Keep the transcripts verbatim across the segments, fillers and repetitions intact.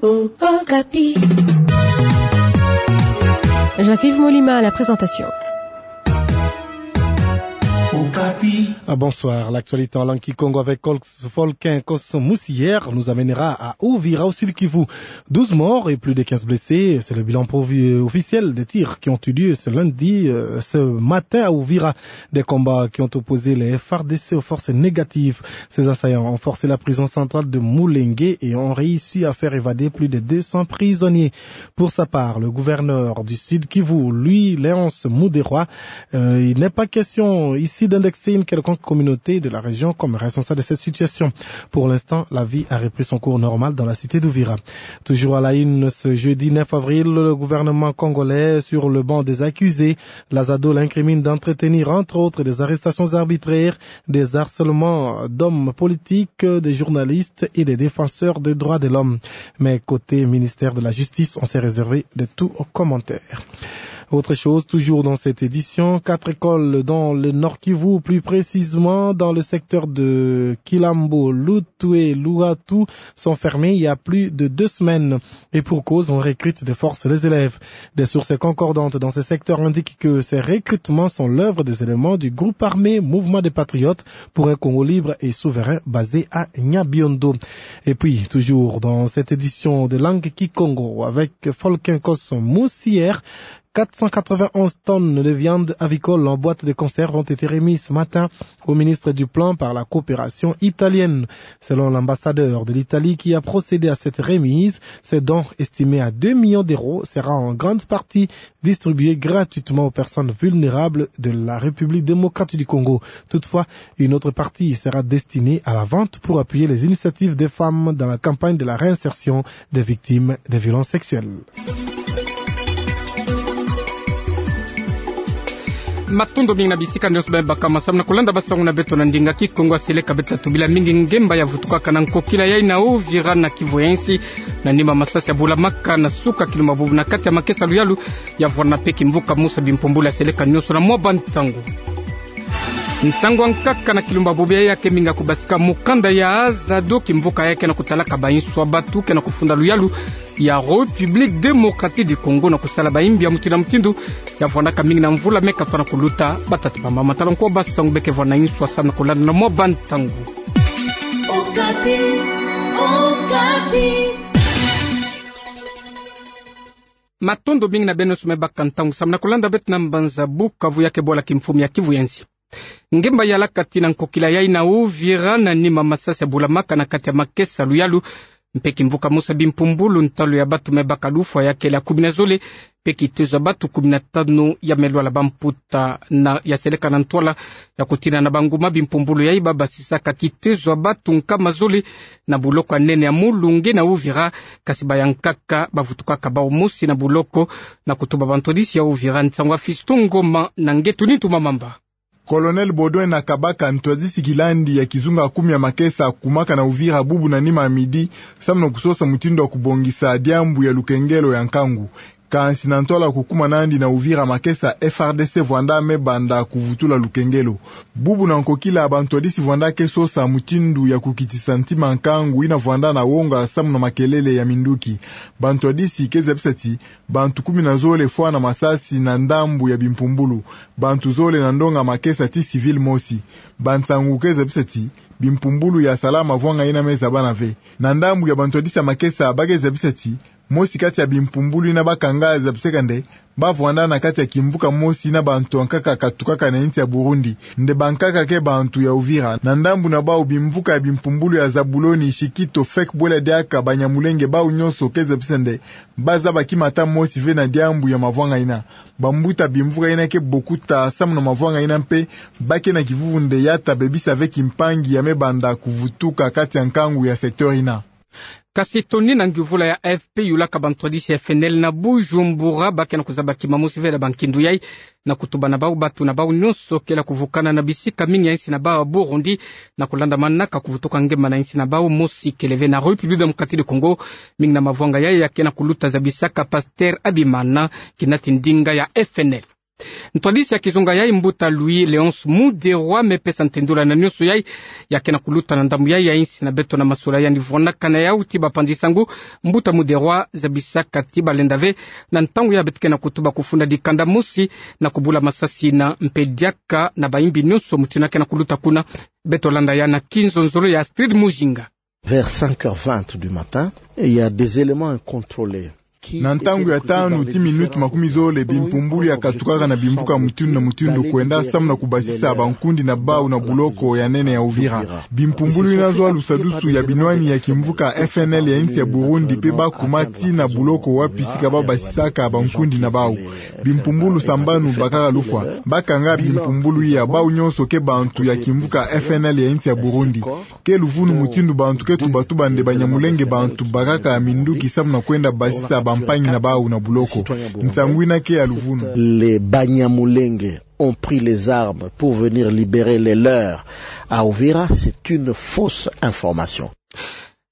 Okapi. Jean-Yves Molima à la présentation. Okapi. Ah, bonsoir. L'actualité en langue kikongo avec Col- Volcan Kos Musier nous amènera à Uvira, au Sud-Kivu. Douze morts et plus de quinze blessés, c'est le bilan provi- officiel des tirs qui ont eu lieu ce lundi, euh, ce matin à Uvira. Des combats qui ont opposé les F A R D C aux forces négatives. Ces assaillants ont forcé la prison centrale de Mulenge et ont réussi à faire évader plus de deux cents prisonniers. Pour sa part, le gouverneur du Sud-Kivu, lui, Léonce Muderwa, euh, il n'est pas question ici d'indexer une quelconque communauté de la région comme responsable de cette situation. Pour l'instant, la vie a repris son cours normal dans la cité d'Uvira. Toujours à la une, ce jeudi neuf avril, le gouvernement congolais, sur le banc des accusés, la ZADO l'incrimine d'entretenir, entre autres, des arrestations arbitraires, des harcèlements d'hommes politiques, des journalistes et des défenseurs des droits de l'homme. Mais côté ministère de la Justice, on s'est réservé de tout commentaire. Autre chose, toujours dans cette édition, quatre écoles dans le Nord-Kivu, plus précisément dans le secteur de Kilambo, Lutwe, Luatu, sont fermées il y a plus de deux semaines. Et pour cause, on recrute de force les élèves. Des sources concordantes dans ce secteur indiquent que ces recrutements sont l'œuvre des éléments du groupe armé Mouvement des Patriotes pour un Congo libre et souverain basé à Nyabiondo. Et puis, toujours dans cette édition de Langue Kikongo, avec Volcan Kos Musier, quatre cent quatre-vingt-onze tonnes de viande avicole en boîte de conserve ont été remises ce matin au ministre du Plan par la coopération italienne. Selon l'ambassadeur de l'Italie qui a procédé à cette remise, ce don estimé à deux millions d'euros sera en grande partie distribué gratuitement aux personnes vulnérables de la République démocratique du Congo. Toutefois, une autre partie sera destinée à la vente pour appuyer les initiatives des femmes dans la campagne de la réinsertion des victimes de violences sexuelles. Matondo mingi na bisika nyonso beno baka masamu na kolanda basango na beto na ndinga Kikongo. Seleka beto tubila mingi ngemba ya vutukaka na nkokila yai na Uvira na Kivu ya Insi, na nima masasi ya bulamaka na suka kilumba bubu na kati ya makesa luyalu ya vwanda mpe kimvuka mosi ya bimpumbulu ya seleka nyonso na mwa bantangu. Nsangu ya nkaka na kilumba bubu yai ya ke mingi ya kubasika mukanda ya ZADO, kimvuka yai ke na kutalaka bainsu ya batu ke na kufunda luyalu ya République démocratique du Congo na kusala bayimbi ya mutindu na mutindu ya vwandaka mingi na mvula me katwa na kuluta. Batata bamama, tala nko basangu beke vwanda na insu ya samu na kolanda na mwa bantangu. Okapi, Okapi. Matondo mingi na beno nyonso me baka ntangu samu na kolanda beto na mbanza Bukavu ya ke bwala kimfumu ya Kivu ya Insi. Ngemba yalaka tii na nkokila yai na Uvira na nima masasi ya bulamaka na kati ya makesa luyalu, mpe kimvuka mosi ya bimpumbulu, ntalu ya batu me baka lufwa ya kele ya kumi na zole, mpe kitezo ya batu kumi na tanu ya me lwala. Bamputa na ya seleka na ntwala ya kutina na banguma bimpumbulu yai babasisaka kitezo ya batu nkama zole na buloko ya nene ya Mulunge na Uvira, kasi baya nkaka bavutukaka bawu mosi na buloko na kutuba bantwadisi ya Uvira. Nsangu ya Fiston Ngoma na Ngetu Nintu Mamamba. Colonel Baudouin Nakabaka, ntwadisi kilandi ya kizunga kumi ya makesa, akumaka na Uvira bubu na nima ya midi, samu na kusosa mutindu ya kubongisa diambu ya lukengelo ya nkangu. Kansi na ntwala kukuma nandi na Uvira, makesa F R D C vwanda me banda kuvutula lukengelo. Bubu na nkokila, bantwadisi vwanda ke sosa mutindu ya kukitisa ntima nkangu ina vwanda na wonga samu na makelele ya minduki. Bantwadisi ke zabisa ti bantu kumi na zole fwana masasi na ndambu ya bimpumbulu. Bantu zole na ndonga makesa ti civil mosi. Bansangu ke zabisa ti bimpumbulu ya sala mavwanga ina me zabana ve. Na ndambu ya bantwadisi ya makesa, ba ke zabisa ti mosi kati ya bimpumbulu ina bakanga zabiseka nde ba vwanda na kati ya kimvuka mosi na bantu ya nkaka katukaka na insi ya Burundi. Nde bankaka ke bantu ya Uvira. Na ndambu na bawu, bimvuka ya bimpumbulu ya Zabuloni, Shikito, Fek, Bwela Diaka, Banyamulenge, bawu nyonso ke zabisa nde ba zaba kimata mosi ve na diambu ya mavwanga ina. Bambuta bimvuka ina ke bokuta samu na mavwanga ina mpe ba ke na kivuvu nde ya ta bebisa ve kimpangi ya me banda kuvutuka kati ya nkangu ya secteur ina. Kasi toni na nguvula ya A F P yulaka bantwadisi ya F N L na Bujumbura, ba ke na kuzaba kima mosi ve na bankindu yai, na kutuba na bawu batu na bawu nyonso kele ya kuvukana na bisika mingi ya insi na bawu ya Burundi, na kulanda manaka kuvutuka ngemba na insi na bawu mosi kele ve na République démocratique du Congo. Mingi na mavwanga yai ya ke na kuluta zabisaka Pasteur Habimana, kinati ndinga ya F N L. Ntwadisi ya kizunga yayi, mbuta Louis Léonce Muderwa, me pesa ntendula na nionso yayi ya ke na kuluta na ndambu yayi ya insi na beto. Na masolaki yandi vwanakana yau ti bapanzi sango, mbuta Muderwa zabisaka ti balenda ve na ntangu ya beto ke na kutuba kufunda dikanda mosi na kubula masasi na mpe diaka na bayimbi nionso mutindu ya ke na kuluta kuna. Beto landa ya na kinzonzolo ya Astrid Mujinga. Vers cinq heures vingt du matin, il y a des éléments incontrôlés. Na ntangu ya tanu ti minutu makumi zole, bimpumbulu ya katukaka na bimvuka mutindu na mutindu kwenda samu na kubasisa bankundi na bau na buloko ya nene ya Uvira. Bimpumbulu yina zwa lusadusu ya binwani ya kimvuka F N L ya insi ya Burundi mpe bakuma ti na buloko wapi sika babasisaka bankundi na bau. Bimpumbulu sambanu bakaka lufwa. Bakanga bimpumbulu iya, bau nionso ke bantu ya kimvuka F N L ya insi ya Burundi. Ke luvunu mutindu bantu ke tubatuba nde Banyamulenge bantu bakaka minduki samu na kwenda basisa bampangi na bau na buloko. Nsangu yina ke ya luvunu. Les Banyamulenge ont pris les armes pour venir libérer les leurs à Uvira, c'est une fausse information.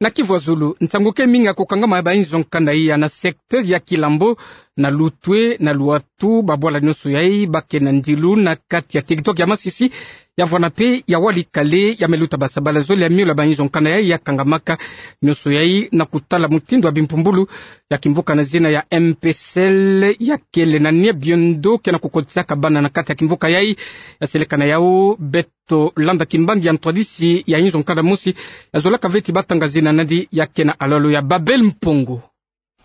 Na Kivu ya zulu, nsangu ke mingi ya kukangama ya bainzo nkanda iya na secteur ya Kilambo, na Lutwe, na Luatu, babwala nionso yayi ba ke na ndilu na kati ya territoire ya Masisi, ya vwana mpe ya Walikale, ya me luta basabala zole ya miola bainzo nkanda yayi ya kangamaka. Nionso yayi na kutala mutindu ya bimpumbulu ya kimvuka na zina ya M P C L ya kele na Nyabiondo ke na kukotisaka bana na kati ya kimvuka yayi. Ya seleka na yau, beto landa kimbangi ya ntwadisi ya inzo nkanda mosi ya zolaka ve ti batanga zina na yandi, ya ke na alolo ya Babel Mpongo.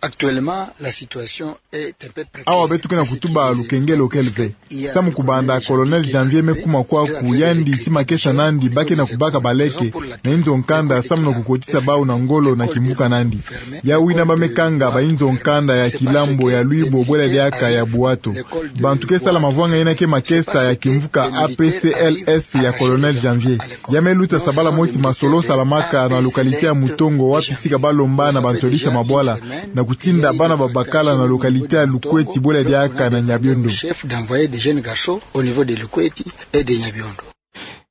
Actuellement, la situation est un peu préoccupante. Awa beto ke na kutuba lukengelo kele ve. Samu kubanda Colonel Janvier me kuma kwaku, yandi ti makesa na yandi ba ke na kubaka baleke na inzo nkanda samu na kukotisa bau na ngolo na kimvuka na yandi. Yau yina ba me kanga bainzo nkanda ya Kilambo, ya Lwibo, bwela diaka ya Buato. Bantu ke sala mavwanga yina ke makesa ya kimvuka A P C L S ya Colonel Janvier. Ya me luta sabala mosi masolo salamaka na localité ya Mutongo, wapi sika balomba na bantu ya bita mabwala na kutinda bana babakala na localité ya Lukweti, bwela diaka na Nyabiondo. Chef d'envoyer des jeunes garçons au niveau de Lukweti et de Nyabiondo.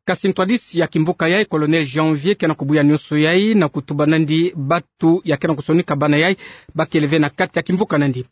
Kasi ntwadisi ya kimvuka yayi, Colonel Janvier, ke na kubuya nionso yayi na kutuba na yandi batu ya ke na kusonika bana yayi ba kele ve na kati ya kimvuka na yandi.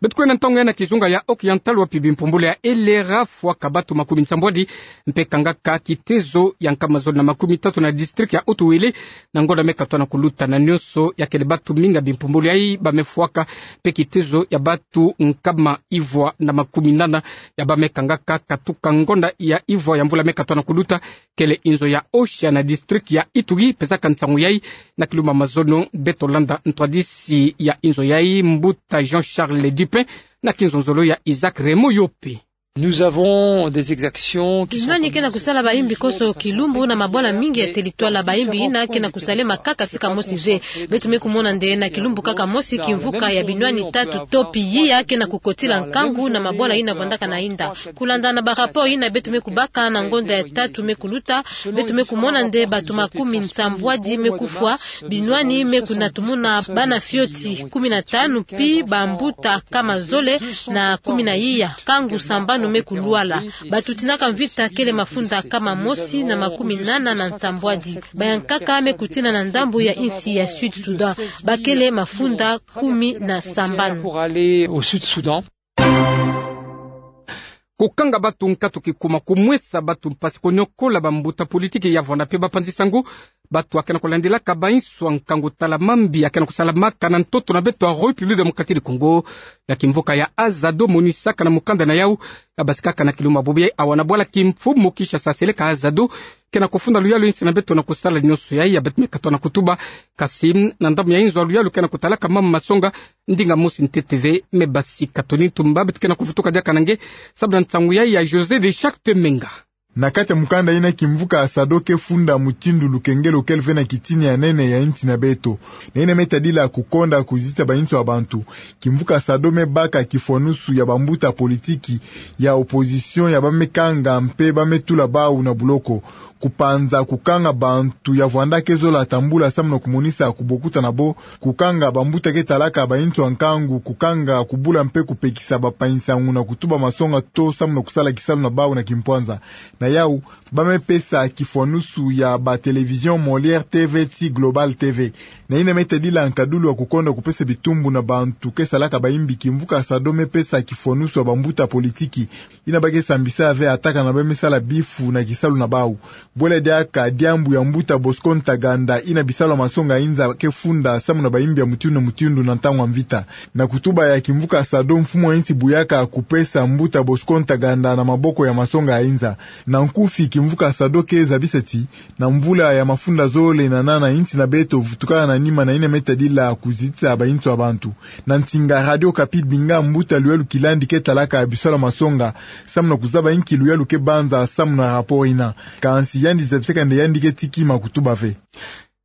Beto kwenda ntangu yayi na kizunga ya Oriental, wapi bimpumbulu ya elera fwaka batu makumi nsambwadi mpe kangaka kitezo ya nkama zole na makumi tatu na district ya Haut-Uélé, na ngonda me katwa na kuluta. Na nionso ya kele batu mingi ya bimpumbulu yayi ba me fwaka, mpe kitezo ya batu nkama ivwa na makumi nana ya ba me kangaka katuka ngonda ya ivwa ya mvula me katwa na kuluta, kele inzo ya Osha na district ya Ituri pesaka nsangu yayi. Na kilumbu ya mazono beto landa ntwadisi ya inzo yayi, mbuta Jean-Charles Dupin, na kinzonzolo ya Isaac Raymond Yope. Nous avons des exactions qui sont... Binwani ke na kusala bayimbi koso kilumbu na mabwala mingi ya territoire. Bayimbi yina ke na kusalema kaka sika mosi ve. Beto me kumona nde na kilumbu kaka mosi kimvuka ya binwani tatu to pia ke na kukotila nkangu na mabwala yina vwandaka na yinda. Kulanda na ba rapport yina beto me kubaka na ngonda ya tatu me kuluta, beto me kumona nde batu makumi nsambwadi me kufwa, binwani me kunatumuna bana fioti kumi na tanu, pi bambuta nkama zole na kumi na iya, nkangu sambanu me kulwala. Batu tinaka mvita kele mafunda nkama mosi na makumi nana na nsambwadi. Bayankaka me kutina na ndambu ya insi ya Sud Soudan. Ba kele mafunda kumi na sambanu. Pour aller au Sud Soudan. Kukanga batu nkatu kikuma, kumwesa batu mpasi, koniokola bambuta politiki ya vwanda mpe bapanzi sango, batu ya ke na kulandilaka bainso ya nkangu tala mambi ya ke na kusalamaka na ntoto na beto ya République Démocratique du Congo, ya kimvuka ya Azado monisaka na mukanda na yau ya basikaka na kilumbu ya bobo yayi awa na bwala kimfumu Kinshasa, seleka Azado ke na kufunda luyalu insi na beto na kusala nionso yayi ya beto me katwa na kutuba. Kasi na ndambu ya inzo ya luyalu ke na kutalaka mama masonga, ndinga mosi ntete ve me basika. Tony Ntumba beto ke na kuvutuka diaka na nge samu na nsangu yayi ya José de Charte Menga. Na kati ya mukanda yina, kimvuka Azado ke funda mutindu lukengelo kele ve na kitini ya nene ya insi na beto. Na yina me tadila kukonda kuzitisa bainso ya bantu. Kimvuka Azado me baka kifwanusu ya bambuta politiki ya opposition ya ba me kanga mpe ba me tula bau na buloko. Kupanza kukanga bantu ya vwanda ke zola tambula samu na kumonisa kubokuta na bo, kukanga bambuta ke talaka bainso ya nkangu, kukanga, kubula mpe kupekisa bapanzi sango na kutuba masonga to samu na kusala kisalu na bau na kimpwanza. Na yau, ba me pesa kifwanusu ya ba télévision Molière TV ti Global TV. Na ina me tadila nkadulu ya kukonda kupesa bitumbu na bantu ke salaka bayimbi, kimvuka SADO me pesa kifwanusu ya bambuta politiki ina ba ke sambisa ve ataka na ba me sala bifu na kisalu na bau. Bwela diaka diambu ya mbuta Bosco Ntaganda ina bisalu ya masonga inza ke funda samu na bayimbi ya mutindu na mutindu na ntangu ya mvita. Na kutuba ya kimvuka SADO, mfumu ya insi buyaka kupesa mbuta Bosco Ntaganda na maboko ya masonga ya inza. Na nkufi, kimvuka SADO ke zabisa ti na mvula ya mafunda zole na nana, insi na beto vutukana na nima na ina me tadila kuzitisa bainso ya bantu. Na nsinga Radio Okapi, binga mbuta Luyalu Kilandi ke talaka bisalu ya masonga samu na kuzaba inki luyalu ke banza samu na rapport ina. Kansi yandi zabisaka nde yandi ke tikima kutuba ve.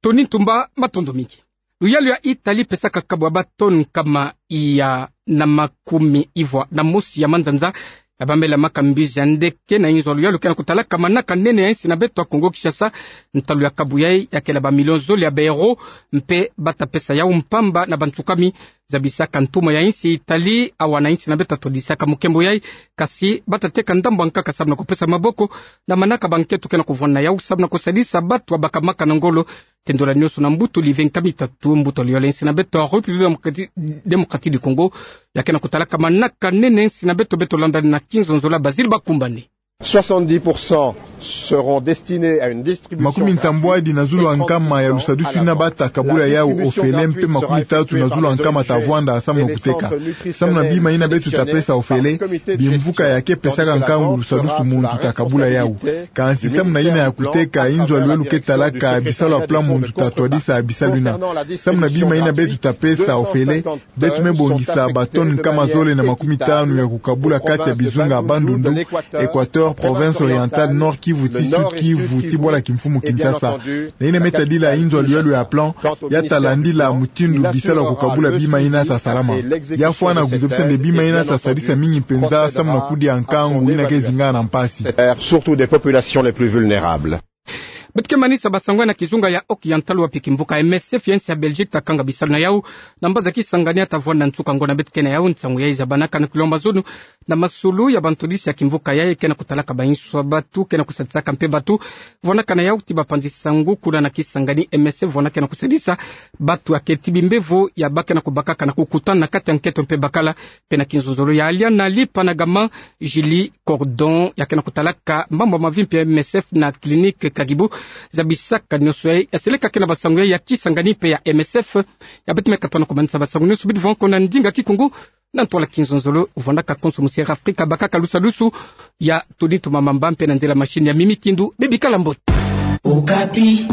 Tony Ntumba, matondo mingi. Luyalu ya Italie pesaka kabu ya ba tonne nkama iya na makumi ivwa na mosi ya manzanza ya bambelamaka mbizi ya ndeke na inzo ya luyalu ke na kutalaka manaka nene ya insi na beto ya Congo Kinshasa. Ntalu ya kabu yayi ya kele ba million zole ya ba euro, mpe ba ta pesa yau mpamba na bansukami. Zabisaka ntuma ya insi Italie awa na insi na beto ya todisaka mukembo yayi, kasi ba ta teka ndambu ya nkaka samu na kupesa maboko na manaka ba nkento ke na kuvwanda yau samu na kusadisa batu ya bakamaka na ngolo. Tendola nioso na mbuta Olivier Nkamitatu, mbuta luyalu ya insi na beto ya République Démocratique du Congo, ya ke na kutalaka manaka nene ya insi na beto. Beto landa na kinzonzolo ya Basile Bakumbane. Soixante-dix pour cent seront destinés à une distribution gratuite. Makumi nsambwadi na zulu ya nkama ya lusadusu ina ba ta kabula yau ofele, mpe makumi tatu na zulu ya nkama ta vwanda samu na kuteka. Samu na bima ina beto ta pesa ofele, bimvuka ya ke pesaka nkangu lusadusu muntu ta kabula yau. Kansi samu na ina ya kuteka, inzo ya luyalu ke talaka bisalu ya plan muntu ta twadisa bisalu ina. Samu na bima ina beto ta pesa ofele, beto me bongisa ba tonne nkama zole na makumi tanu ya kukabula kati ya bizunga ya Bandundu, Équateur, Province Orientale, Nord-Kivu ti Sud-Kivu ti bwala kimfumu Kinshasa. Na ina me tadila inzo ya luyalu ya plan, ya ta landila mutindu bisalu ya kukabula bima ina ta salama. Ya fwana kuzabisa nde bima ina ta sadisa mingi mpenza samu na kudia nkangu ina ke zingama na mpasi. Surtout des populations les plus vulnérables. Beto ke manisa basango na kizunga ya Occidental, wapi kimvuka M S F ya insi ya Belgique ta kanga bisalu na yau na mbazi ya Kisangani ya ta vwanda nsuka ngo. Na beto ke na yau nsangu yayi, zabanaka na kulomba zulu na masulu ya bantwadisi ya kimvuka yayi ke na kutalaka bainso ya batu ke na kusadisaka mpe batu vwanaka na yau ti bapanzi sangu kuna na Kisangani. M S F vwana ke na kusadisa batu ya keti bimbevo ya ba ke na kubakaka na kukutana na kati ya nkento mpe bakala. Mpe na kinzonzolo ya Aliana Lipa na Gama, Julie Cordon, ya ke na kutalaka mambu ya mavimpi ya M S F na clinique Kagibu, zabisaka nioso yayi, ya seleka ke na basango yayi ya Kisangani mpe ya M S F. Ya beto me katuka na kumanisa basango nioso, beto vwanga ko na ndinga Kikongo, na ntwala kinzonzolo, vwandaka konso mu Sierra Africa, bakaka lusadusu ya Tony Ntumba Mamba, mpe na nzila machine ya Mimi Kindu. Bebikala mbote. Okapi.